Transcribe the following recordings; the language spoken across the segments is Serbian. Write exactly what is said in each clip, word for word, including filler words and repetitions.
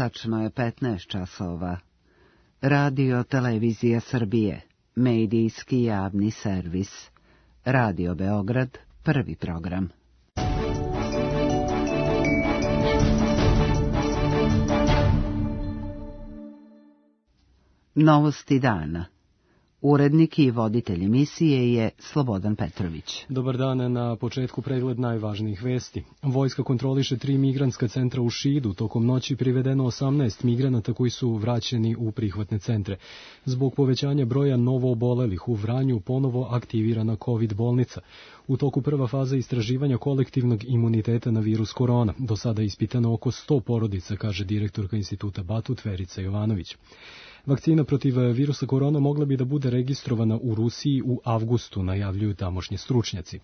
Tačno je petnaest časova. Radio Televizija Srbije, medijski javni servis. Radio Beograd, prvi program. Novosti dana. Urednik i voditelj emisije je Slobodan Petrović. Dobar dan, na početku pregled najvažnijih vesti. Vojska kontroliše tri migrantska centra u Šidu. Tokom noći privedeno osamnaest migranata koji su vraćeni u prihvatne centre. Zbog povećanja broja novoobolelih u Vranju ponovo aktivirana COVID bolnica. U toku prva faza istraživanja kolektivnog imuniteta na virus korona. Do sada je ispitano oko sto porodica, kaže direktorka instituta Batut Verica Jovanović. Vakcina protiv virusa korona mogla bi da bude registrovana u Rusiji u avgustu, najavljuju tamošnji stručnjaci.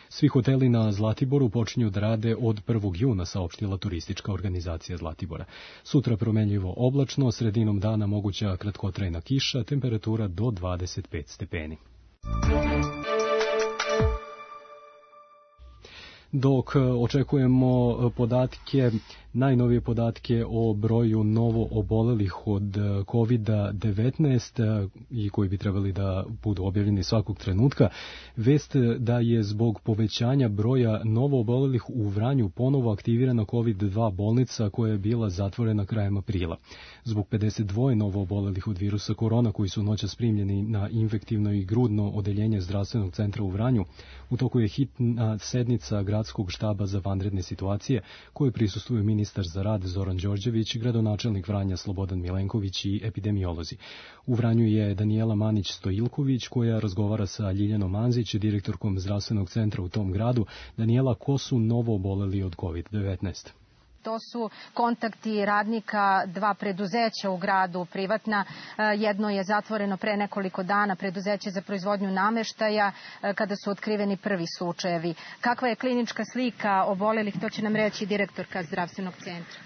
Svi hoteli na Zlatiboru počinju da rade od prvog juna, saopštila turistička organizacija Zlatibora. Sutra promenljivo oblačno, sredinom dana moguća kratkotrajna kiša, temperatura do dvadeset pet stepeni. Dok očekujemo podatke, najnovije podatke o broju novo obolelih od kovid devetnaest i koji bi trebali da budu objavljeni svakog trenutka, vest da je zbog povećanja broja novo obolelih u Vranju ponovo aktivirana kovid dva bolnica koja je bila zatvorena krajem aprila. Zbog pedeset dva novo obolelih od virusa korona koji su noćas primljeni na infektivno i grudno odeljenje zdravstvenog centra u Vranju, u toku je hitna sednica gradskog štaba za vanredne situacije koje prisustvuju ministar za rad Zoran Đorđević, gradonačelnik Vranja Slobodan Milenković i epidemiolozi. U Vranju je Danijela Manić-Stojilković koja razgovara sa Ljiljanom Manzić, direktorkom zdravstvenog centra u tom gradu. Danijela, ko su novo oboleli od kovid devetnaest? To su kontakti radnika dva preduzeća u gradu privatna. Jedno je zatvoreno pre nekoliko dana, preduzeće za proizvodnju nameštaja, kada su otkriveni prvi slučajevi. Kakva je klinička slika obolelih, to će nam reći direktorka zdravstvenog centra.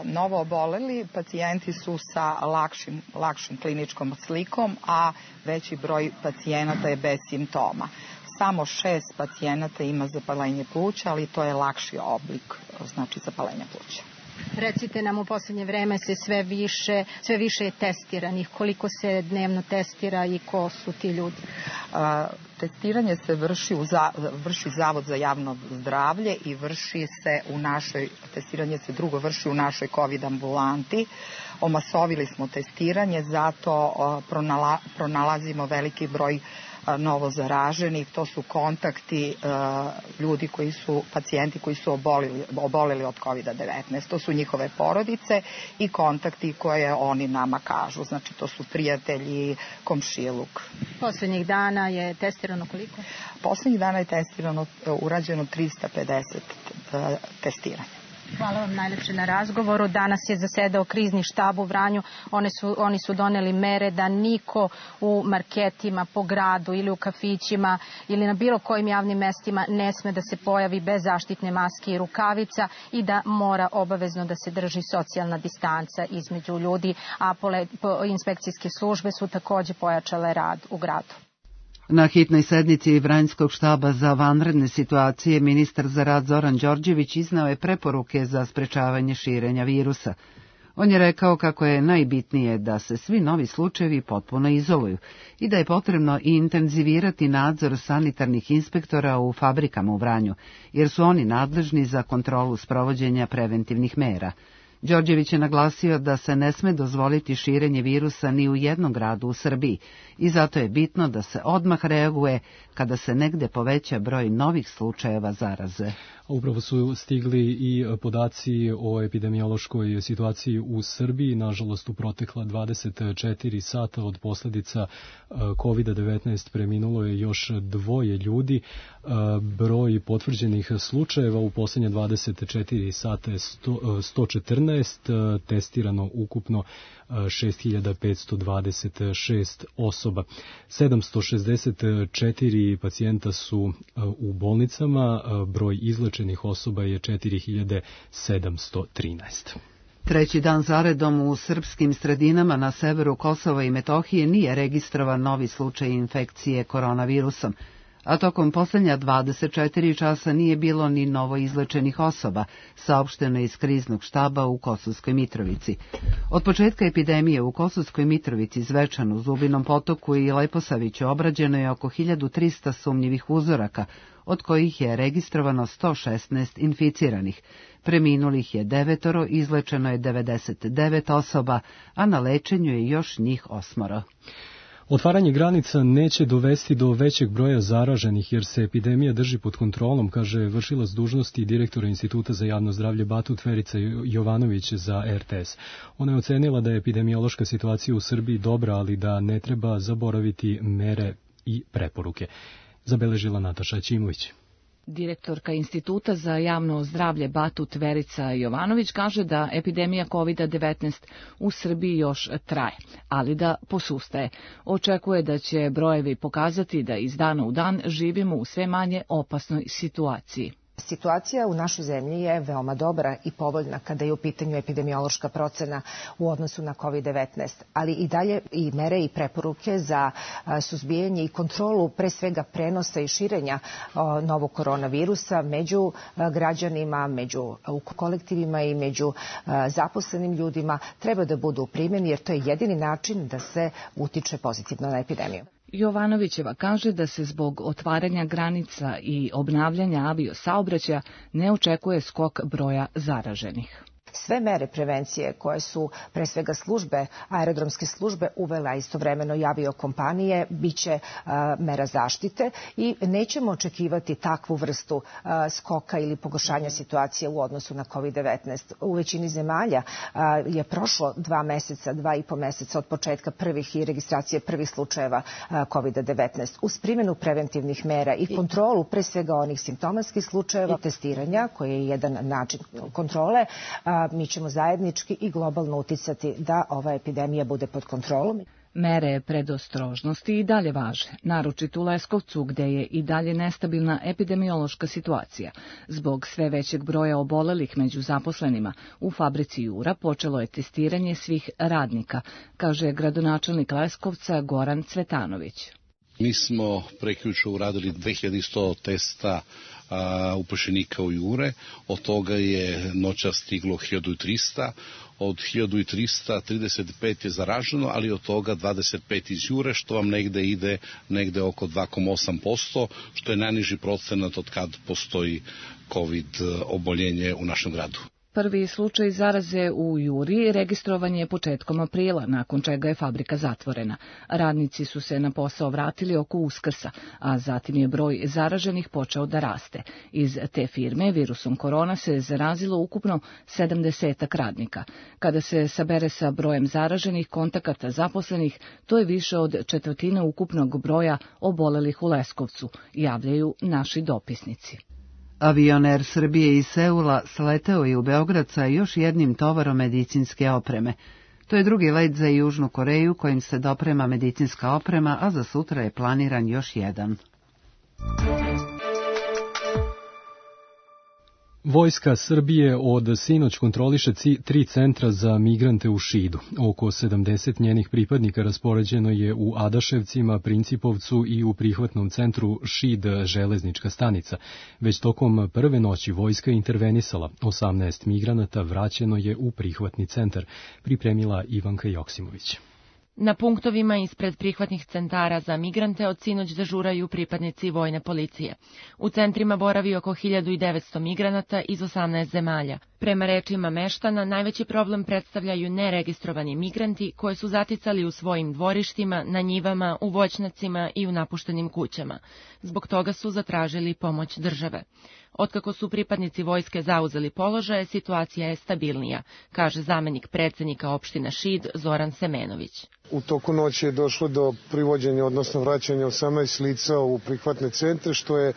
Novo oboleli pacijenti su sa lakšim, lakšim kliničkom slikom, a veći broj pacijenata je bez simptoma. Samo šest pacijenata ima zapalenje pluća, ali to je lakši oblik, znači zapalenja pluća. Recite nam, u posljednje vreme se sve više, sve više je testiranih. Koliko se dnevno testira i ko su ti ljudi? A, testiranje se vrši u za, vrši Zavod za javno zdravlje i vrši se u našoj, testiranje se drugo vrši u našoj COVID ambulanti. Omasovili smo testiranje, zato a, pronala, pronalazimo veliki broj novo zaraženih. To su kontakti uh, ljudi koji su, pacijenti koji su obolili, oboleli od kovid devetnaest. To su njihove porodice i kontakti koje oni nama kažu. Znači, to su prijatelji, komšiluk. Poslednjih dana je testirano koliko? Poslednjih dana je testirano, urađeno trista pedeset uh, testiranja. Hvala vam najlepše na razgovoru. Danas je zasedao krizni štab u Vranju. Oni su, oni su doneli mere da niko u marketima, po gradu ili u kafićima ili na bilo kojim javnim mestima ne sme da se pojavi bez zaštitne maske i rukavica i da mora obavezno da se drži socijalna distanca između ljudi, a pole, po, inspekcijske službe su takođe pojačale rad u gradu. Na hitnoj sednici Vranjskog štaba za vanredne situacije ministar za rad Zoran Đorđević iznao je preporuke za sprečavanje širenja virusa. On je rekao kako je najbitnije da se svi novi slučajevi potpuno izoluju i da je potrebno i intenzivirati nadzor sanitarnih inspektora u fabrikama u Vranju, jer su oni nadležni za kontrolu sprovođenja preventivnih mera. Đorđević je naglasio da se ne sme dozvoliti širenje virusa ni u jednom gradu u Srbiji i zato je bitno da se odmah reaguje kada se negde poveća broj novih slučajeva zaraze. Upravo su stigli i podaci o epidemiološkoj situaciji u Srbiji. Nažalost, u protekla dvadeset četiri sata od posljedica kovid devetnaest preminulo je još dvoje ljudi. Broj potvrđenih slučajeva u posljednje dvadeset četiri sata je sto četrnaest, testirano ukupno šest hiljada petsto dvadeset šest osoba. sedamsto šezdeset četiri pacijenta su u bolnicama, broj izlečenih osoba je četiri hiljade sedamsto trinaest. Treći dan zaredom u srpskim sredinama na severu Kosova i Metohije nije registrovan novi slučaj infekcije koronavirusom, a tokom posljednja dvadeset četiri časa nije bilo ni novo izlečenih osoba, saopšteno je iz kriznog štaba u Kosovskoj Mitrovici. Od početka epidemije u Kosovskoj Mitrovici, Zvečanu, Zubinom Potoku i Leposaviću obrađeno je oko hiljadu trista sumnjivih uzoraka, od kojih je registrovano sto šesnaest inficiranih. Preminulih je devetoro, izlečeno je devedeset devet osoba, a na lečenju je još njih osmoro. Otvaranje granica neće dovesti do većeg broja zaraženih jer se epidemija drži pod kontrolom, kaže vršilac dužnosti direktora Instituta za javno zdravlje Batut Verica Jovanović za R T S. Ona je ocenila da je epidemiološka situacija u Srbiji dobra, ali da ne treba zaboraviti mere i preporuke. Zabeležila Nataša Ćimović. Direktorka Instituta za javno zdravlje Batut Verica Jovanović kaže da epidemija kovid devetnaest u Srbiji još traje, ali da posustaje. Očekuje da će brojevi pokazati da iz dana u dan živimo u sve manje opasnoj situaciji. Situacija u našoj zemlji je veoma dobra i povoljna kada je u pitanju epidemiološka procena u odnosu na kovid devetnaest, ali i dalje i mere i preporuke za suzbijanje i kontrolu pre svega prenosa i širenja novog koronavirusa među građanima, među kolektivima i među zaposlenim ljudima treba da budu u primjeni jer to je jedini način da se utiče pozitivno na epidemiju. Jovanovićeva kaže da se zbog otvaranja granica i obnavljanja aviosaobraćaja ne očekuje skok broja zaraženih. Sve mere prevencije koje su pre svega službe, aerodromske službe uvela istovremeno i aviokompanije, bit će mera zaštite i nećemo očekivati takvu vrstu skoka ili pogoršanja situacije u odnosu na kovid devetnaest. U većini zemalja je prošlo dva meseca, dva i po meseca od početka prvih i registracije prvih slučajeva kovid devetnaest. Uz primjenu preventivnih mera i kontrolu pre svega onih simptomatskih slučajeva i testiranja, koji je jedan način kontrole, mi ćemo zajednički i globalno uticati da ova epidemija bude pod kontrolom. Mere predostrožnosti i dalje važe, naročito u Leskovcu gde je i dalje nestabilna epidemiološka situacija. Zbog sve većeg broja obolelih među zaposlenima u fabrici Jura počelo je testiranje svih radnika, kaže gradonačelnik Leskovca Goran Cvetanović. Mi smo prekjuče uradili dve hiljade sto testa upošljenika u Jure, od toga je noća stiglo hiljadu trista, od hiljadu trista trideset pet je zaraženo, ali od toga dvadeset pet iz Jure, što vam negde ide negde oko dva zarez osam posto, što je najniži procenat od kad postoji COVID oboljenje u našem gradu. Prvi slučaj zaraze u Juri registrovan je početkom aprila, nakon čega je fabrika zatvorena. Radnici su se na posao vratili oko Uskrsa, a zatim je broj zaraženih počeo da raste. Iz te firme virusom korona se zarazilo ukupno sedamdesetak radnika. Kada se sabere sa brojem zaraženih kontakata zaposlenih, to je više od četvrtine ukupnog broja obolelih u Leskovcu, javljaju naši dopisnici. Avion Air Srbije iz Seula sleteo je u Beograd sa još jednim tovarom medicinske opreme. To je drugi let za Južnu Koreju kojim se doprema medicinska oprema, a za sutra je planiran još jedan. Vojska Srbije od sinoć kontroliše tri centra za migrante u Šidu. Oko sedamdeset njenih pripadnika raspoređeno je u Adaševcima, Principovcu i u prihvatnom centru Šid železnička stanica. Već tokom prve noći vojska intervenisala. osamnaest migranata vraćeno je u prihvatni centar, pripremila Ivanka Joksimović. Na punktovima ispred prihvatnih centara za migrante od sinoć dežuraju pripadnici vojne policije. U centrima boravi oko hiljadu devetsto migranata iz osamnaest zemalja. Prema rečima meštana, najveći problem predstavljaju neregistrovani migranti koje su zaticali u svojim dvorištima, na njivama, u voćnjacima i u napuštenim kućama. Zbog toga su zatražili pomoć države. Otkako su pripadnici vojske zauzeli položaje, situacija je stabilnija, kaže zamenik predsednika opštine Šid Zoran Semenović. U toku noći je došlo do privođenja, odnosno vraćanja osamnaest lica u prihvatne centre, što je e,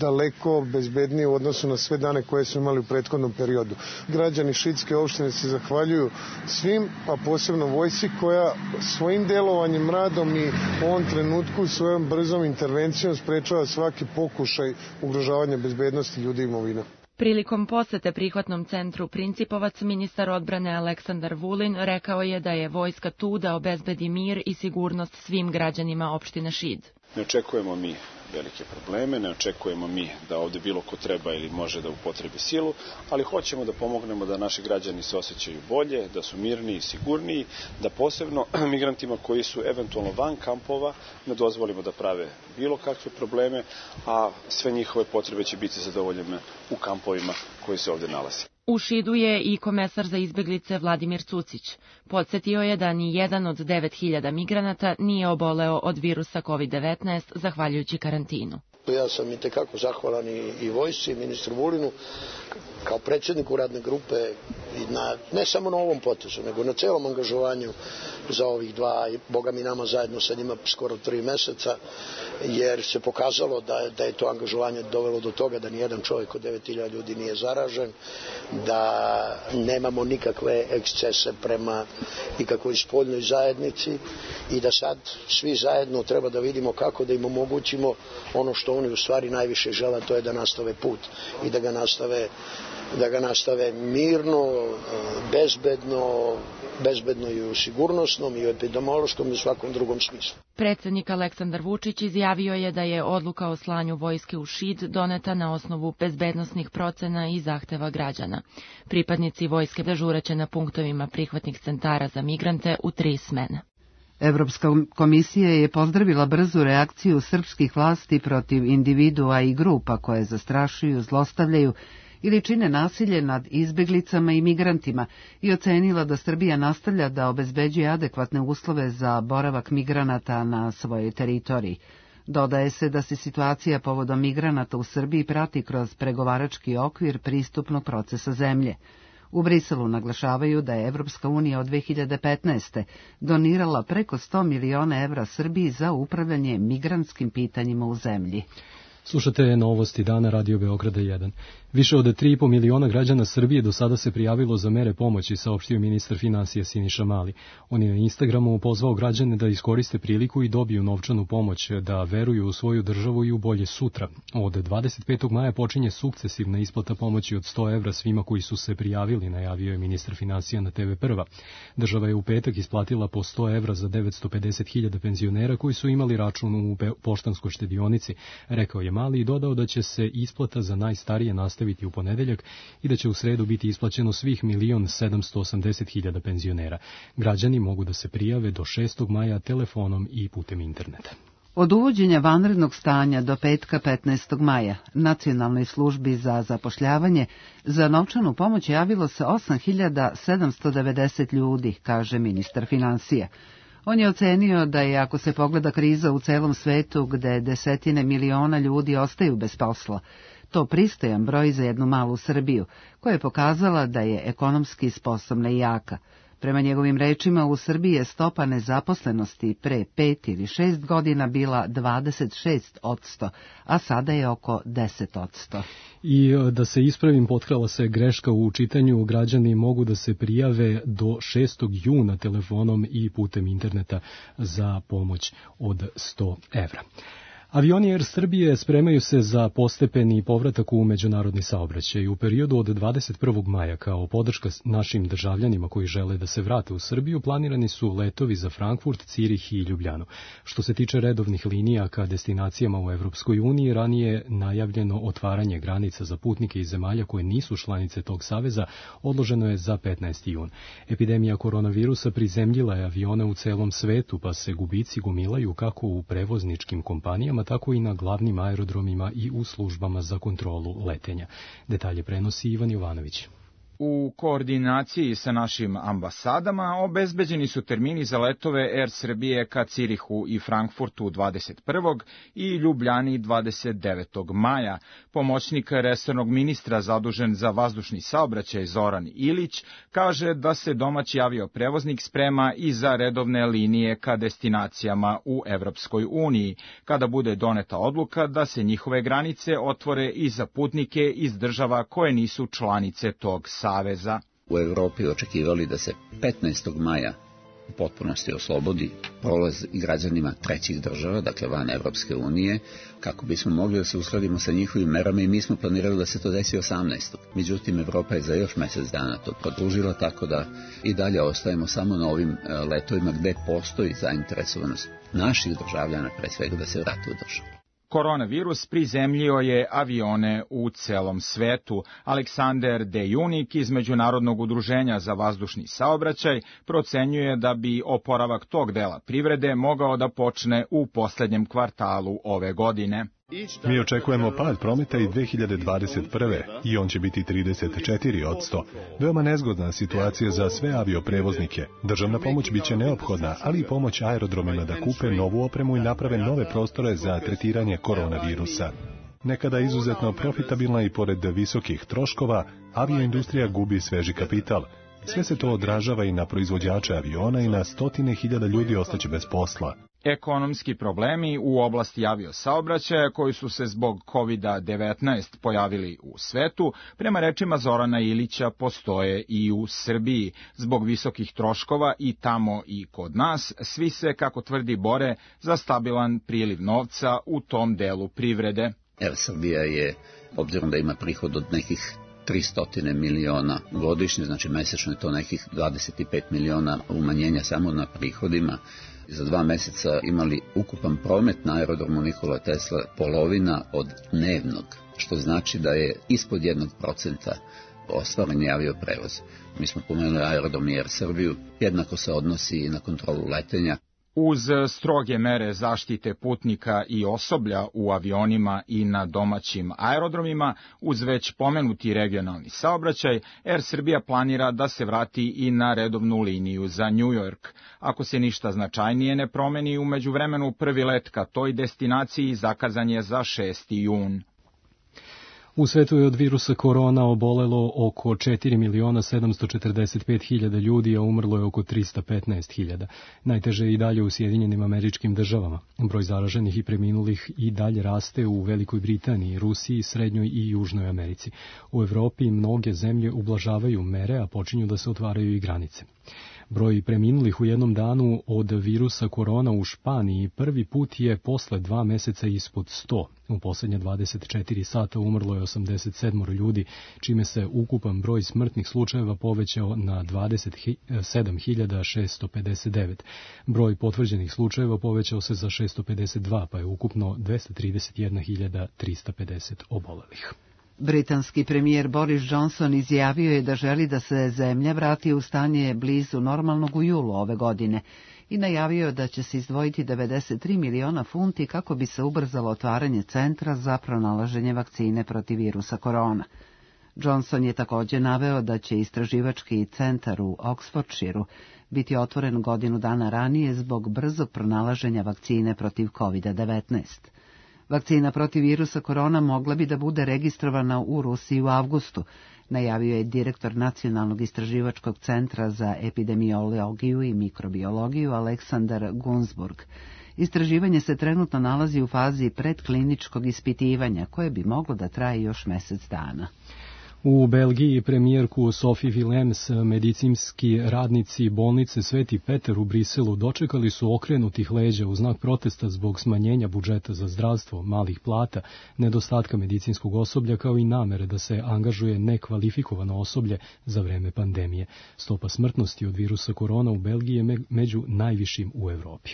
daleko bezbednije u odnosu na sve dane koje su imali u prethodnom periodu. Građani Šidske opštine se zahvaljuju svim, a posebno vojsci koja svojim delovanjem, radom i u ovom trenutku svojom brzom intervencijom sprečava svaki pokušaj ugrožavanja bezbednosti ljudi i imovina. Prilikom posete prihvatnom centru Principovac, ministar odbrane Aleksandar Vulin rekao je da je vojska tu da obezbedi mir i sigurnost svim građanima opštine Šid. Ne očekujemo mi velike probleme, ne očekujemo mi da ovde bilo ko treba ili može da upotrebi silu, ali hoćemo da pomognemo da naši građani se osjećaju bolje, da su mirniji i sigurniji, da posebno migrantima koji su eventualno van kampova ne dozvolimo da prave bilo kakve probleme, a sve njihove potrebe će biti zadovoljene u kampovima koji se ovde nalazi. U Šidu je i komesar za izbeglice Vladimir Cucić. Podsjetio je da ni jedan od devet hiljada migranata nije oboleo od virusa kovid devetnaest zahvaljujući karantinu. Ja sam i tekako zahvalan i, i vojsci, i ministru Vulinu, kao predsjedniku radne grupe, i na, ne samo na ovom potezu, nego na celom angažovanju za ovih dva, i boga mi nama zajedno sa njima skoro tri meseca, jer se pokazalo da, da je to angažovanje dovelo do toga da nijedan čovjek od devet hiljada ljudi nije zaražen, da nemamo nikakve ekscese prema nikakvoj spoljnoj zajednici i da sad svi zajedno treba da vidimo kako da im omogućimo ono što oni u stvari najviše žele, to je da nastave put i da ga nastave da ga nastave mirno, bezbedno, bezbedno i u sigurnosnom i u epidemiološkom i u svakom drugom smislu. Predsjednik Aleksandar Vučić izjavio je da je odluka o slanju vojske u Šid doneta na osnovu bezbednosnih procena i zahteva građana. Pripadnici vojske dežuraće na punktovima prihvatnih centara za migrante u tri smene. Evropska komisija je pozdravila brzu reakciju srpskih vlasti protiv individua i grupa koje zastrašuju, zlostavljaju ili čine nasilje nad izbeglicama i migrantima i ocenila da Srbija nastavlja da obezbeđuje adekvatne uslove za boravak migranata na svojoj teritoriji. Dodaje se da se situacija povodom migranata u Srbiji prati kroz pregovarački okvir pristupnog procesa zemlje. U Briselu naglašavaju da je Evropska unija od dve hiljade petnaeste. donirala preko sto miliona evra Srbiji za upravljanje migrantskim pitanjima u zemlji. Slušate novosti dana Radio Beograda jedan. Više od tri i po miliona građana Srbije do sada se prijavilo za mere pomoći, saopštio ministar finansija Siniša Mali. On je na Instagramu pozvao građane da iskoriste priliku i dobiju novčanu pomoć, da veruju u svoju državu i u bolje sutra. Od dvadeset petog maja počinje sukcesivna isplata pomoći od sto evra svima koji su se prijavili, najavio je ministar finansija na te ve Prva. Država je u petak isplatila po sto evra za devetsto pedeset hiljada penzionera koji su imali račun u poštanskoj štedionici, rekao je Mali i dodao da će se isplata za najstarije nastaviti u ponedeljak i da će u sredu biti isplaćeno svih milion sedamsto osamdeset hiljada penzionera. Građani mogu da se prijave do šestog maja telefonom i putem interneta. Od uvođenja vanrednog stanja do petka petnaestog maja Nacionalnoj službi za zapošljavanje za novčanu pomoć javilo se osam hiljada sedamsto devedeset ljudi, kaže ministar finansija. On je ocenio da je, ako se pogleda kriza u celom svetu gde desetine miliona ljudi ostaju bez posla, to pristojan broj za jednu malu Srbiju, koja je pokazala da je ekonomski sposobna i jaka. Prema njegovim rečima, u Srbiji je stopa nezaposlenosti pre pet ili šest godina bila dvadeset šest odsto, a sada je oko deset odsto. I da se ispravim, potkrala se greška u čitanju, građani mogu da se prijave do šestog juna telefonom i putem interneta za pomoć od sto evra. Avioni Air Srbije spremaju se za postepeni povratak u međunarodni saobraćaj. U periodu od dvadeset prvog maja, kao podrška našim državljanima koji žele da se vrate u Srbiju, planirani su letovi za Frankfurt, Cirih i Ljubljanu. Što se tiče redovnih linija ka destinacijama u Evropskoj uniji, ranije je najavljeno otvaranje granica za putnike iz zemalja koje nisu članice tog saveza, odloženo je za petnaesti jun. Epidemija koronavirusa prizemljila je avione u celom svetu, pa se gubici gomilaju kako u prevozničkim kompanijama, tako i na glavnim aerodromima i u službama za kontrolu letenja. Detalje prenosi Ivan Jovanović. U koordinaciji sa našim ambasadama obezbeđeni su termini za letove Air Srbije ka Cirihu i Frankfurtu dvadeset prvog i Ljubljani dvadeset devetog maja. Pomoćnik resornog ministra zadužen za vazdušni saobraćaj Zoran Ilić kaže da se domaći avioprevoznik sprema i za redovne linije ka destinacijama u Evropskoj uniji, kada bude doneta odluka da se njihove granice otvore i za putnike iz država koje nisu članice tog saveza. U Evropi očekivali da se petnaestog maja u potpunosti oslobodi prolaz građanima trećih država, dakle van Evropske unije, kako bismo mogli da se uskladimo sa njihovim merama, i mi smo planirali da se to desi osamnaestog Međutim, Evropa je za još mesec dana to produžila, tako da i dalje ostajemo samo na ovim letovima gde postoji zainteresovanost naših državljana, pre svega, da se vrate u državu. Koronavirus prizemljio je avione u celom svetu. Aleksander De Junik iz Međunarodnog udruženja za vazdušni saobraćaj procenjuje da bi oporavak tog dela privrede mogao da počne u poslednjem kvartalu ove godine. Mi očekujemo pad prometa i dve hiljade dvadeset prve. i on će biti trideset četiri posto. Veoma nezgodna situacija za sve avioprevoznike. Državna pomoć biće neophodna, ali i pomoć aerodromima da kupe novu opremu i naprave nove prostore za tretiranje koronavirusa. Nekada izuzetno profitabilna i pored visokih troškova, avioindustrija gubi sveži kapital. Sve se to odražava i na proizvođače aviona i na stotine hiljada ljudi ostaće bez posla. Ekonomski problemi u oblasti aviosaobraćaja koji su se zbog kovid devetnaest pojavili u svetu, prema rečima Zorana Ilića, postoje i u Srbiji. Zbog visokih troškova i tamo i kod nas, svi se, kako tvrdi, bore za stabilan priliv novca u tom delu privrede. Er Srbija je, obzirom da ima prihod od nekih tristo miliona godišnje, znači mesečno je to nekih dvadeset pet miliona umanjenja samo na prihodima. Za dva meseca imali ukupan promet na aerodromu Nikola Tesla polovina od dnevnog, što znači da je ispod jednog procenta ostvaren je avioprevoz. Mi smo pomenuli aerodrom i Er Srbiju, jednako se odnosi i na kontrolu letenja. Uz stroge mere zaštite putnika i osoblja u avionima i na domaćim aerodromima, uz već pomenuti regionalni saobraćaj, Er Srbija planira da se vrati i na redovnu liniju za New York. Ako se ništa značajnije ne promeni, u međuvremenu prvi let ka toj destinaciji zakazan je za šesti jun. U svetu je od virusa korona obolelo oko četiri miliona sedamsto četrdeset pet hiljada ljudi, a umrlo je oko trista petnaest hiljada. Najteže je i dalje u Sjedinjenim Američkim Državama. Broj zaraženih i preminulih i dalje raste u Velikoj Britaniji, Rusiji, Srednjoj i Južnoj Americi. U Evropi mnoge zemlje ublažavaju mere, a počinju da se otvaraju i granice. Broj preminulih u jednom danu od virusa korona u Španiji prvi put je posle dva meseca ispod sto. U posljednje dvadeset četiri sata umrlo je osamdeset sedam ljudi, čime se ukupan broj smrtnih slučajeva povećao na dvadeset sedam hiljada šesto pedeset devet. Broj potvrđenih slučajeva povećao se za šesto pedeset dva, pa je ukupno dvesta trideset jedna hiljada trista pedeset obolelih. Britanski premijer Boris Johnson izjavio je da želi da se zemlja vrati u stanje blizu normalnog u julu ove godine i najavio da će se izdvojiti devedeset tri miliona funti kako bi se ubrzalo otvaranje centra za pronalaženje vakcine protiv virusa korona. Johnson je također naveo da će istraživački centar u Oxfordshireu biti otvoren godinu dana ranije zbog brzog pronalaženja vakcine protiv kovid devetnaest. Vakcina protiv virusa korona mogla bi da bude registrovana u Rusiji u avgustu, najavio je direktor Nacionalnog istraživačkog centra za epidemiologiju i mikrobiologiju Aleksandar Gunsburg. Istraživanje se trenutno nalazi u fazi predkliničkog ispitivanja, koje bi moglo da traje još mesec dana. U Belgiji premijerku Sophie Willems medicinski radnici bolnice Sveti Petar u Briselu dočekali su okrenutih leđa u znak protesta zbog smanjenja budžeta za zdravstvo, malih plata, nedostatka medicinskog osoblja kao i namere da se angažuje nekvalifikovano osoblje za vreme pandemije. Stopa smrtnosti od virusa korona u Belgiji je među najvišim u Evropi.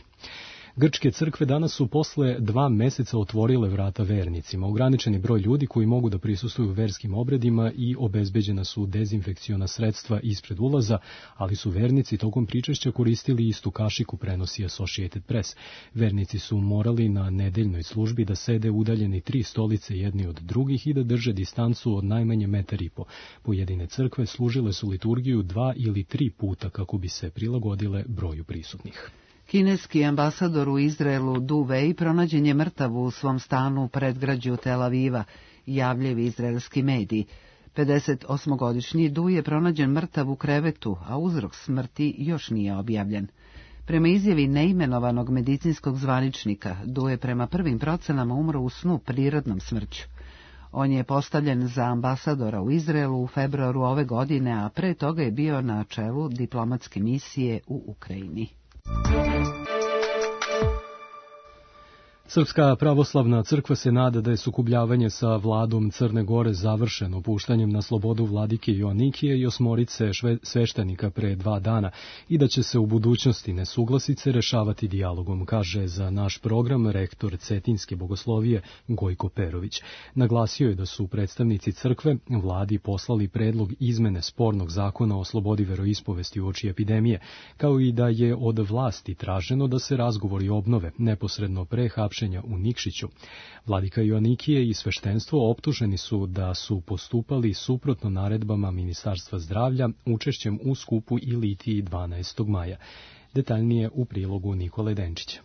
Grčke crkve danas su posle dva meseca otvorile vrata vernicima. Ograničeni broj ljudi koji mogu da prisustvuju verskim obredima i obezbeđena su dezinfekciona sredstva ispred ulaza, ali su vernici tokom pričešća koristili istu kašiku, prenosi Associated Press. Vernici su morali na nedeljnoj službi da sede udaljeni tri stolice jedni od drugih i da drže distancu od najmanje metar i po. Pojedine crkve služile su liturgiju dva ili tri puta kako bi se prilagodile broju prisutnih. Kineski ambasador u Izraelu Du Wei pronađen je mrtav u svom stanu u predgrađu Tel Aviva, javljaju izraelski mediji. pedesetosmogodišnji Du je pronađen mrtav u krevetu, a uzrok smrti još nije objavljen. Prema izjavi neimenovanog medicinskog zvaničnika, Du je prema prvim procenama umro u snu prirodnom smrću. On je postavljen za ambasadora u Izraelu u februaru ove godine, a pre toga je bio na čelu diplomatske misije u Ukrajini. Srpska pravoslavna crkva se nada da je sukobljavanje sa vladom Crne Gore završeno puštanjem na slobodu vladike Joanikije i osmorice sveštenika pre dva dana i da će se u budućnosti nesuglasice rešavati dijalogom, kaže za naš program rektor Cetinjske bogoslovije Gojko Perović. Naglasio je da su predstavnici crkve vladi poslali predlog izmene spornog zakona o slobodi veroispovesti uoči epidemije, kao i da je od vlasti traženo da se razgovori obnove neposredno pre hapšenja u Nikšiću. Vladika Joanikije i sveštenstvo optuženi su da su postupali suprotno naredbama Ministarstva zdravlja učešćem u skupu i litiji dvanaestog maja. Detaljnije u prilogu Nikole Denčića.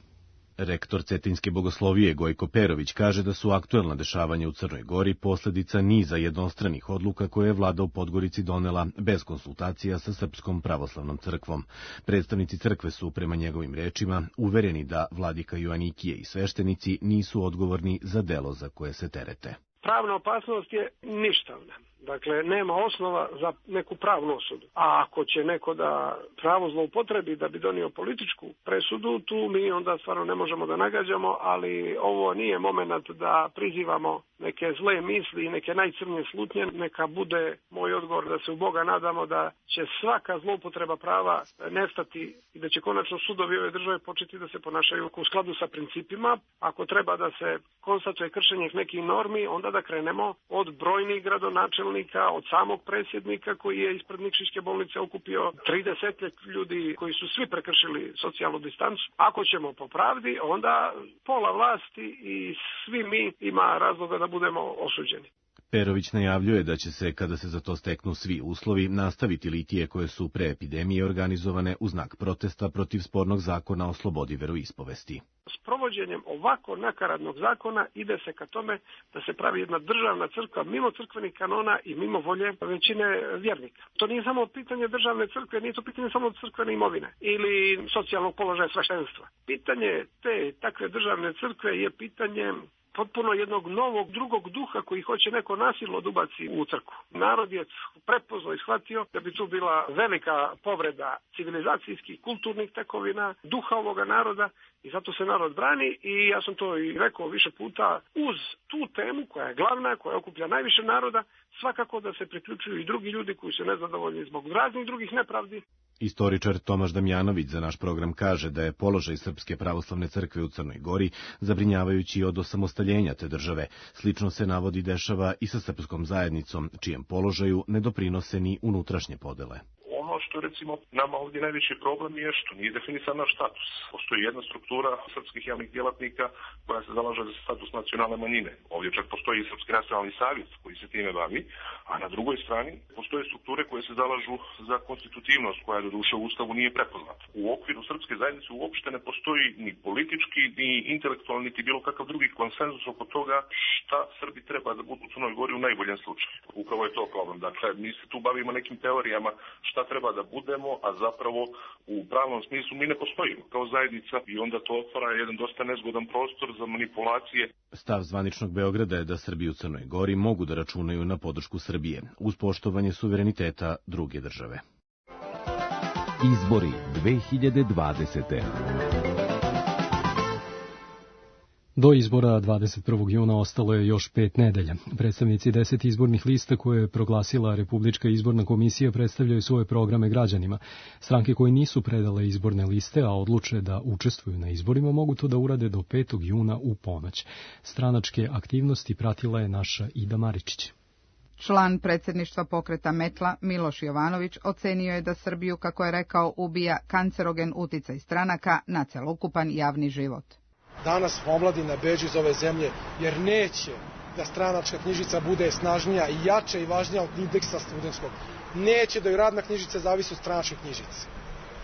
Rektor Cetinjske bogoslovije Gojko Perović kaže da su aktuelna dešavanja u Crnoj Gori posledica niza jednostranih odluka koje je vlada u Podgorici donela bez konsultacija sa Srpskom pravoslavnom crkvom. Predstavnici crkve su, prema njegovim rečima, uvereni da vladika Joanikije i sveštenici nisu odgovorni za delo za koje se terete. Pravna opasnost je ništavna. Dakle, nema osnova za neku pravnu osudu. A ako će neko da pravo zloupotrebi da bi donio političku presudu, tu mi onda stvarno ne možemo da nagađamo, ali ovo nije moment da prizivamo neke zle misli i neke najcrnije slutnje. Neka bude moj odgovor da se u Boga nadamo da će svaka zloupotreba prava nestati i da će konačno sudovi ove države početi da se ponašaju u skladu sa principima. Ako treba da se konstatuje kršenje nekih normi, onda da krenemo od brojnih gradonačelnika, od samog predsjednika koji je ispred Nikšićke bolnice okupio trideset ljudi koji su svi prekršili socijalnu distancu. Ako ćemo po pravdi, onda pola vlasti i svi mi ima razloga da budemo osuđeni. Perović najavljuje da će se, kada se za to steknu svi uslovi, nastaviti litije koje su pre epidemije organizovane u znak protesta protiv spornog zakona o slobodi veroispovesti. S provođenjem ovako nakaradnog zakona ide se ka tome da se pravi jedna državna crkva mimo crkvenih kanona i mimo volje većine vjernika. To nije samo pitanje državne crkve, nije to pitanje samo crkvene imovine ili socijalnog položaja sveštenstva. Pitanje te takve državne crkve je pitanje potpuno jednog novog drugog duha koji hoće neko nasilno da ubaci u crkvu. Narod je prepoznao i shvatio da bi tu bila velika povreda civilizacijskih, kulturnih tekovina, duha ovoga naroda i zato se narod brani i ja sam to i rekao više puta, uz tu temu koja je glavna, koja okuplja najviše naroda, svakako da se priključuju i drugi ljudi koji su nezadovoljni zbog raznih drugih nepravdi. Istoričar Tomaš Damjanović za naš program kaže da je položaj Srpske pravoslavne crkve u Crnoj Gori zabrinjavajući od osamostaljenja te države. Slično se navodi dešava i sa srpskom zajednicom, čijem položaju ne doprinose ni unutrašnje podele. Ono što recimo nama ovdje najveći problem je što nije definisan naš status. Postoji jedna struktura srpskih javnih djelatnika koja se zalaže za status nacionalne manjine. Ovdje čak postoji i Srpski nacionalni savjet koji se time bavi, a na drugoj strani postoje strukture koje se zalažu za konstitutivnost koja do duše u Ustavu nije prepoznata. U okviru srpske zajednice uopšte ne postoji ni politički, ni intelektualni, niti bilo kakav drugi konsenzus oko toga šta Srbi treba da budu u Crnoj Gori u najboljem slučaju. Upravo je to problem. Dakle, mi se tu bavimo nekim teorijama šta treba da budemo, a zapravo u pravnom smislu mi ne postojimo kao zajednica i onda to otvara jedan dosta nezgodan prostor za manipulacije. Stav zvaničnog Beograda je da Srbi u Crnoj Gori mogu da računaju na podršku Srbije uz poštovanje suvereniteta druge države. Izbori dve hiljade dvadesete. Do izbora dvadeset prvog juna ostalo je još pet nedelja. Predstavnici deset izbornih lista koje je proglasila Republička izborna komisija predstavljaju svoje programe građanima. Stranke koje nisu predale izborne liste, a odluče da učestvuju na izborima, mogu to da urade do petog juna u ponoć. Stranačke aktivnosti pratila je naša Ida Maričić. Član predsjedništva pokreta Metla Miloš Jovanović ocenio je da Srbiju, kako je rekao, ubija kancerogen uticaj stranaka na celokupan javni život. Danas omladina beži iz ove zemlje jer neće da stranačka knjižica bude snažnija i jača i važnija od indeksa studentskog. Neće da joj radna knjižica zavisi od stranačke knjižice.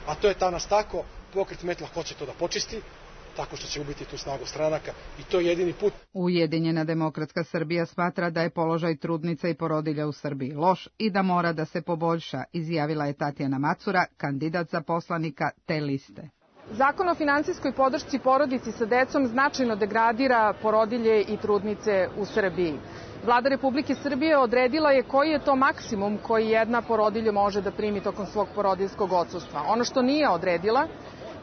A to je danas tako, pokret Metla hoće to da počisti, tako što će ubiti tu snagu stranaka i to je jedini put. Ujedinjena demokratska Srbija smatra da je položaj trudnica i porodilja u Srbiji loš i da mora da se poboljša, izjavila je Tatjana Macura, kandidat za poslanika te liste. Zakon o finansijskoj podršci porodici sa decom značajno degradira porodilje i trudnice u Srbiji. Vlada Republike Srbije odredila je koji je to maksimum koji jedna porodilja može da primi tokom svog porodiljskog odsustva. Ono što nije odredila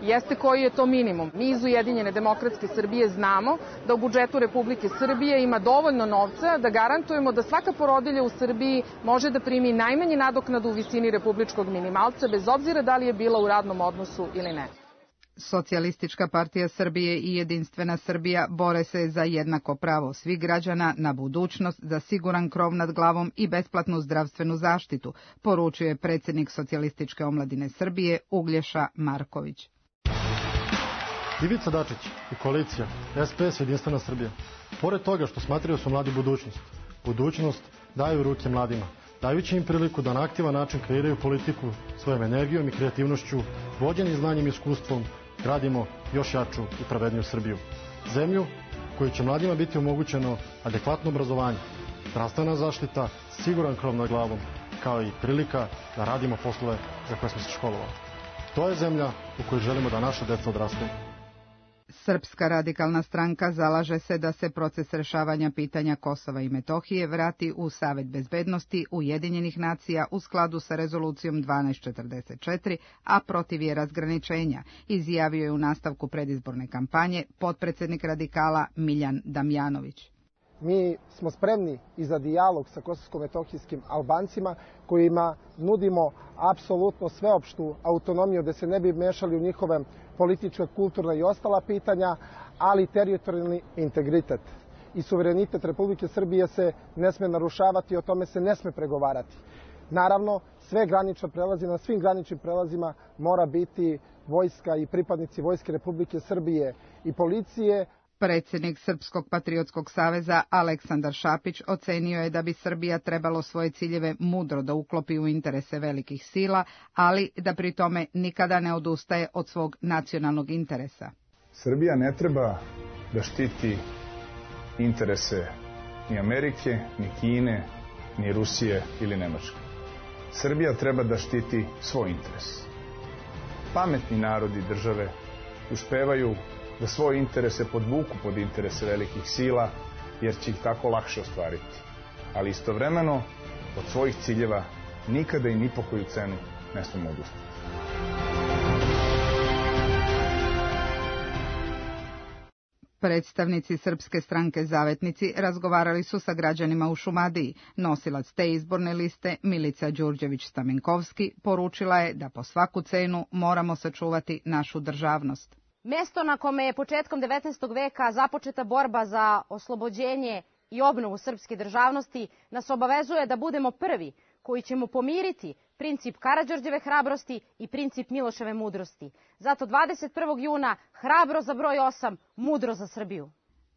jeste koji je to minimum. Mi iz Ujedinjene demokratske Srbije znamo da u budžetu Republike Srbije ima dovoljno novca da garantujemo da svaka porodilja u Srbiji može da primi najmanje nadoknadu u visini republičkog minimalca, bez obzira da li je bila u radnom odnosu ili ne. Socijalistička partija Srbije i Jedinstvena Srbija bore se za jednako pravo svih građana na budućnost, za siguran krov nad glavom i besplatnu zdravstvenu zaštitu, poručuje predsjednik Socijalističke omladine Srbije Uglješa Marković. Ivica Dačić i koalicija S P S Jedinstvena Srbija, pored toga što smatraju su mladi budućnost, budućnost daju u ruke mladima, dajući im priliku da na aktivan način kreiraju politiku svojom energijom i kreativnošću, vođeni znanjem i iskustvom, gradimo još jaču i pravedniju Srbiju. Zemlju koju će mladima biti omogućeno adekvatno obrazovanje, zdravstvena zaštita, siguran krov nad glavom, kao i prilika da radimo poslove za koje smo se školovali. To je zemlja u kojoj želimo da naša deca odrastu. Srpska radikalna stranka zalaže se da se proces rešavanja pitanja Kosova i Metohije vrati u Savet bezbednosti Ujedinjenih nacija u skladu sa rezolucijom dvanaest četrdeset četiri, a protiv je razgraničenja, izjavio je u nastavku predizborne kampanje potpredsednik radikala Miljan Damjanović. Mi smo spremni i za dijalog sa kosovsko-metohijskim Albancima kojima nudimo apsolutno sveopštu autonomiju da se ne bi mešali u njihove politička, kulturna i ostala pitanja, ali teritorijalni integritet i suverenitet Republike Srbije se ne sme narušavati, o tome se ne sme pregovarati. Naravno, sve granične prelaze, na svim graničnim prelazima mora biti vojska i pripadnici Vojske Republike Srbije i policije. Predsjednik Srpskog patriotskog saveza Aleksandar Šapić ocenio je da bi Srbija trebalo svoje ciljeve mudro da uklopi u interese velikih sila, ali da pri tome nikada ne odustaje od svog nacionalnog interesa. Srbija ne treba da štiti interese ni Amerike, ni Kine, ni Rusije ili Nemačke. Srbija treba da štiti svoj interes. Pametni narodi države uspevaju da svoje interese podvuku pod interese velikih sila, jer će ih tako lakše ostvariti. Ali istovremeno, od svojih ciljeva nikada i ni po koju cenu ne smemo odustati. Predstavnici Srpske stranke Zavetnici razgovarali su sa građanima u Šumadiji. Nosilac te izborne liste, Milica Đurđević-Stamenkovski, poručila je da po svaku cenu moramo sačuvati našu državnost. Mesto na kome je početkom devetnaestog veka započeta borba za oslobođenje i obnovu srpske državnosti nas obavezuje da budemo prvi koji ćemo pomiriti princip Karađorđeve hrabrosti i princip Miloševe mudrosti. Zato dvadeset prvog juna hrabro za broj osam, mudro za Srbiju.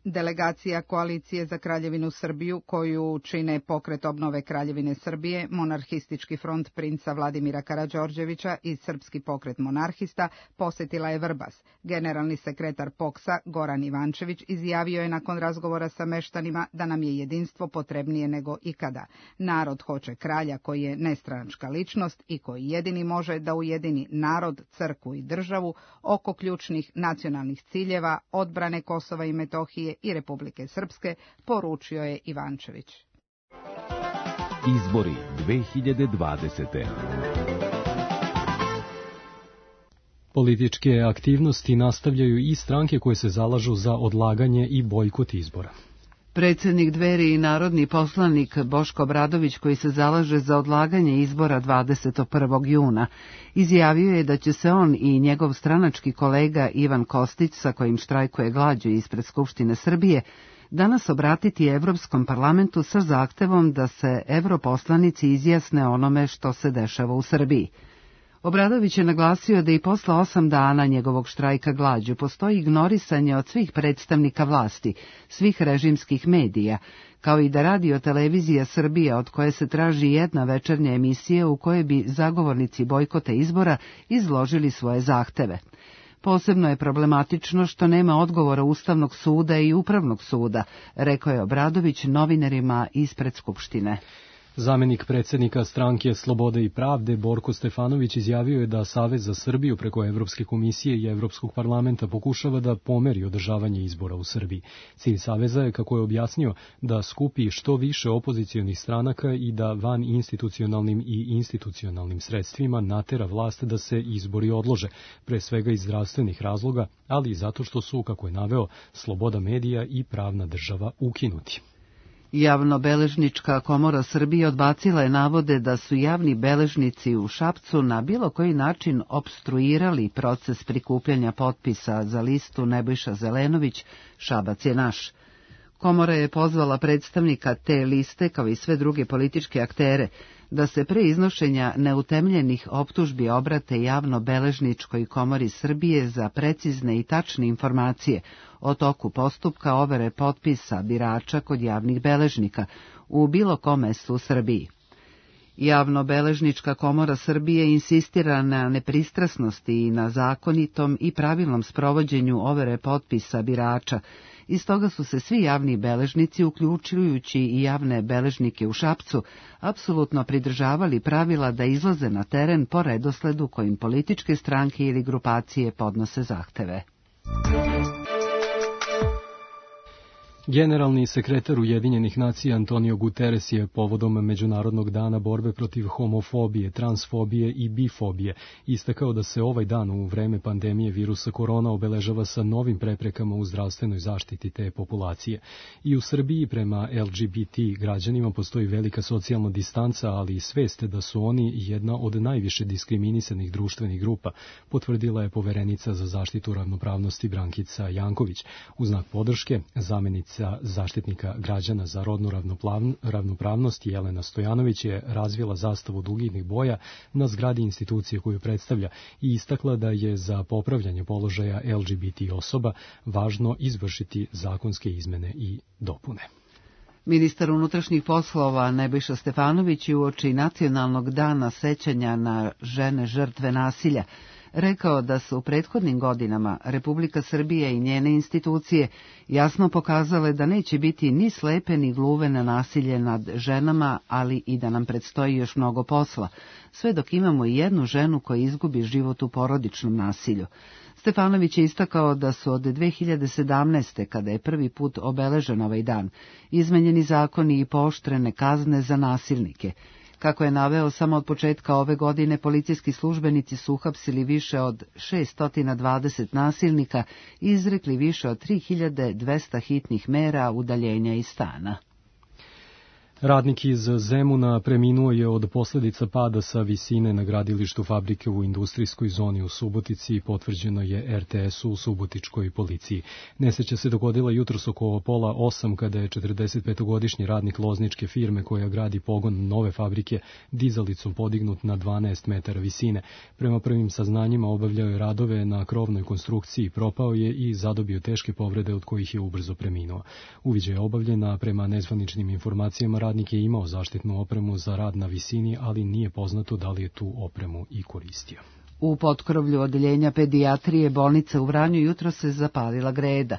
Delegacija Koalicije za Kraljevinu Srbiju, koju čine Pokret obnove Kraljevine Srbije, Monarhistički front princa Vladimira Karađorđevića i Srpski pokret monarhista, posjetila je Vrbas. Generalni sekretar P O K S-a Goran Ivančević izjavio je nakon razgovora sa meštanima da nam je jedinstvo potrebnije nego ikada. Narod hoće kralja koji je nestranačka ličnost i koji jedini može da ujedini narod, crkvu i državu oko ključnih nacionalnih ciljeva, odbrane Kosova i Metohije i Republike Srpske, poručio je Ivančević. Izbori dve hiljade dvadesete. Političke aktivnosti nastavljaju i stranke koje se zalažu za odlaganje i bojkot izbora. Predsjednik Dveri i narodni poslanik Boško Obradović, koji se zalaže za odlaganje izbora dvadeset prvog juna, izjavio je da će se on i njegov stranački kolega Ivan Kostić, sa kojim štrajkuje glađu ispred Skupštine Srbije, danas obratiti Evropskom parlamentu sa zahtevom da se europoslanici izjasne onome što se dešava u Srbiji. Obradović je naglasio da i posle osam dana njegovog štrajka glađu postoji ignorisanje od svih predstavnika vlasti, svih režimskih medija, kao i da radio televizija Srbija, od koje se traži jedna večernja emisija u kojoj bi zagovornici bojkota izbora izložili svoje zahteve. Posebno je problematično što nema odgovora Ustavnog suda i Upravnog suda, rekao je Obradović novinarima ispred Skupštine. Zamenik predsjednika stranke Slobode i pravde Borko Stefanović izjavio je da Savez za Srbiju preko Evropske komisije i Evropskog parlamenta pokušava da pomeri održavanje izbora u Srbiji. Cilj Saveza je, kako je objasnio, da skupi što više opozicionih stranaka i da van institucionalnim i institucionalnim sredstvima natera vlast da se izbori odlože, pre svega iz zdravstvenih razloga, ali i zato što su, kako je naveo, sloboda medija i pravna država ukinuti. Javnobeležnička komora Srbije odbacila je navode da su javni beležnici u Šapcu na bilo koji način opstruirali proces prikupljanja potpisa za listu Nebojša Zelenović, Šabac je naš. Komora je pozvala predstavnika te liste, kao i sve druge političke aktere, da se pre iznošenja neutemljenih optužbi obrate Javnobeležničkoj komori Srbije za precizne i tačne informacije o toku postupka overe potpisa birača kod javnih beležnika u bilo kom mestu u Srbiji. Javnobeležnička komora Srbije insistira na nepristrasnosti i na zakonitom i pravilnom sprovođenju overe potpisa birača, i stoga su se svi javni beležnici, uključujući i javne beležnike u Šapcu, apsolutno pridržavali pravila da izlaze na teren po redosledu kojim političke stranke ili grupacije podnose zahteve. Generalni sekretar Ujedinjenih nacija Antonio Guterres je povodom Međunarodnog dana borbe protiv homofobije, transfobije i bifobije istakao da se ovaj dan u vreme pandemije virusa korona obeležava sa novim preprekama u zdravstvenoj zaštiti te populacije. I u Srbiji prema L G B T građanima postoji velika socijalna distanca, ali i svest da su oni jedna od najviše diskriminisanih društvenih grupa, potvrdila je poverenica za zaštitu ravnopravnosti Brankica Janković. U znak podrške, zamenica zaštitnika građana za rodnu ravnopravnost Jelena Stojanović je razvila zastavu duginih boja na zgradi institucije koju predstavlja i istakla da je za popravljanje položaja L G B T osoba važno izvršiti zakonske izmene i dopune. Ministar unutrašnjih poslova Nebojša Stefanović je uoči Nacionalnog dana sećanja na žene žrtve nasilja rekao da su u prethodnim godinama Republika Srbija i njene institucije jasno pokazale da neće biti ni slepe ni gluve na nasilje nad ženama, ali i da nam predstoji još mnogo posla, sve dok imamo i jednu ženu koja izgubi život u porodičnom nasilju. Stefanović je istakao da su od dve hiljade sedamnaeste. kada je prvi put obeležen ovaj dan, izmenjeni zakoni i pooštrene kazne za nasilnike. Kako je naveo, samo od početka ove godine policijski službenici su uhapsili više od šest dvadeset nasilnika i izrekli više od tri hiljade dvesta hitnih mera udaljenja iz stana. Radnik iz Zemuna preminuo je od posljedica pada sa visine na gradilištu fabrike u industrijskoj zoni u Subotici i potvrđeno je R T S-u u subotičkoj policiji. Nesreća se dogodila jutros oko pola osam kada je četrdesetpetogodišnji radnik lozničke firme koja gradi pogon nove fabrike dizalicom podignut na dvanaest metara visine. Prema prvim saznanjima obavljao je radove na krovnoj konstrukciji, propao je i zadobio teške povrede od kojih je ubrzo preminuo. Uviđaj je obavljena prema nezvaničnim informacijama. Radnik je imao zaštitnu opremu za rad na visini, ali nije poznato da li je tu opremu i koristio. U potkrovlju odeljenja pedijatrije bolnice u Vranju jutro se zapalila greda.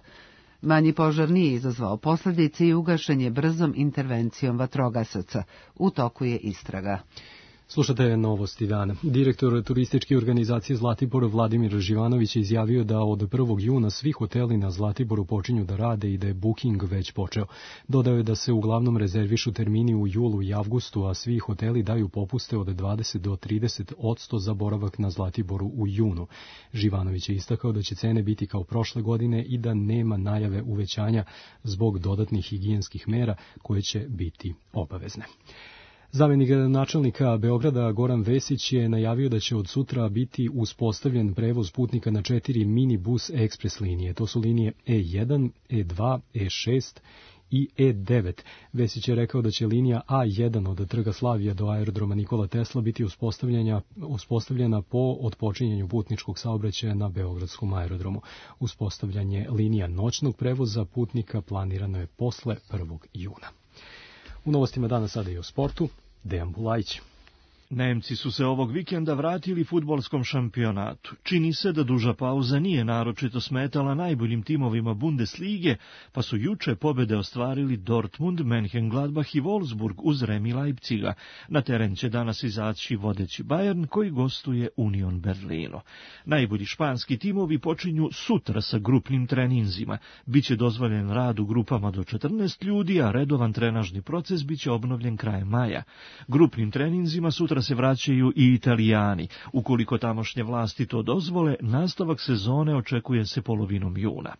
Manji požar nije izazvao posljedice i ugašen je brzom intervencijom vatrogasaca. U toku je istraga. Slušate novosti dana. Direktor turističke organizacije Zlatibor Vladimir Živanović je izjavio da od prvog juna svi hoteli na Zlatiboru počinju da rade i da je booking već počeo. Dodao je da se uglavnom rezervišu termini u julu i avgustu, a svi hoteli daju popuste od dvadeset do trideset odsto za boravak na Zlatiboru u junu. Živanović je istakao da će cene biti kao prošle godine i da nema najave uvećanja zbog dodatnih higijenskih mera koje će biti obavezne. Zamenik načelnika Beograda Goran Vesić je najavio da će od sutra biti uspostavljen prevoz putnika na četiri minibus ekspres linije. To su linije E jedan, E dva, E šest i E devet. Vesić je rekao da će linija A jedan od Trga Slavija do aerodroma Nikola Tesla biti uspostavljena po otpočinjanju putničkog saobraćaja na Beogradskom aerodromu. Uspostavljanje linija noćnog prevoza putnika planirano je posle prvog juna. U novostima dana sada i o sportu. Dejan Bulajić. Nemci su se ovog vikenda vratili fudbalskom šampionatu. Čini se da duža pauza nije naročito smetala najboljim timovima Bundeslige, pa su juče pobede ostvarili Dortmund, Mönchengladbach i Wolfsburg uz remi Leipziga. Na teren će danas izaći vodeći Bayern koji gostuje Union Berlino. Najbolji španski timovi počinju sutra sa grupnim treninzima. Biće dozvoljen rad u grupama do četrnaest ljudi, a redovan trenažni proces biće obnovljen krajem maja. Grupnim treninzima sutra se vraćaju i Italijani. Ukoliko tamošnje vlasti to dozvole, nastavak sezone očekuje se polovinom juna.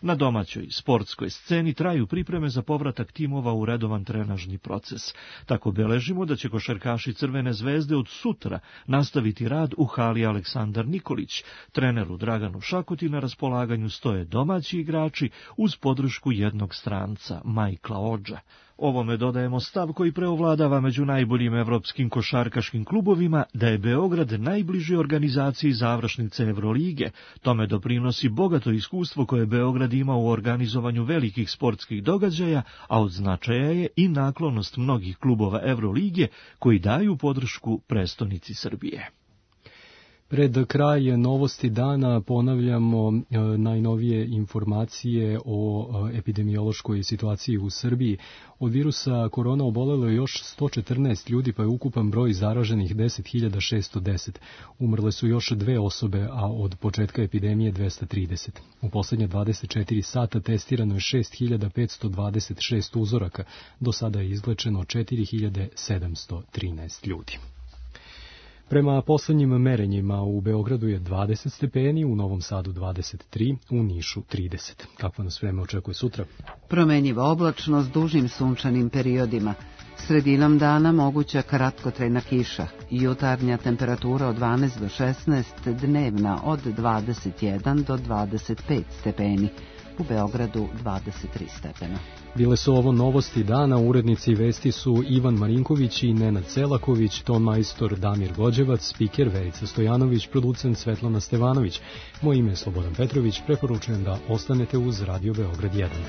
Na domaćoj sportskoj sceni traju pripreme za povratak timova u redovan trenažni proces. Tako beležimo da će košarkaši Crvene zvezde od sutra nastaviti rad u hali Aleksandar Nikolić. Treneru Draganu Šakuti na raspolaganju stoje domaći igrači uz podršku jednog stranca, Majkla Odža. Ovome dodajemo stav koji preovladava među najboljim evropskim košarkaškim klubovima da je Beograd najbliži organizaciji završnice Evrolige. Tome doprinosi bogato iskustvo koje Beograd ima u organizovanju velikih sportskih događaja, a od značaja je i naklonost mnogih klubova Evrolige koji daju podršku prestonici Srbije. Pred kraj novosti dana ponavljamo e, najnovije informacije o e, epidemiološkoj situaciji u Srbiji. Od virusa korona obolelo je još sto četrnaest ljudi, pa je ukupan broj zaraženih deset hiljada šesto deset. Umrle su još dve osobe, a od početka epidemije dvesta trideset. U posljednje dvadeset četiri sata testirano je šest hiljada petsto dvadeset šest uzoraka. Do sada je izlečeno četiri hiljade sedamsto trinaest ljudi. Prema poslednjim merenjima u Beogradu je dvadeset stepeni, u Novom Sadu dvadeset tri, u Nišu trideset. Kakvo nas vreme očekuje sutra? Promenjiva oblačno s dužim sunčanim periodima. Sredinom dana moguća kratkotrajna kiša. Jutarnja temperatura od dvanaest do šesnaest, dnevna od dvadeset jedan do dvadeset pet stepeni. U Beogradu dvadeset tri stepena. Bile su ovo novosti dana, urednici vesti su Ivan Marinković i Nenad Celaković, ton majstor Damir Gođevac, spiker Verica Stojanović, producent Svetlana Stevanović. Moje ime je Slobodan Petrović, preporučujem da ostanete uz Radio Beograd jedan.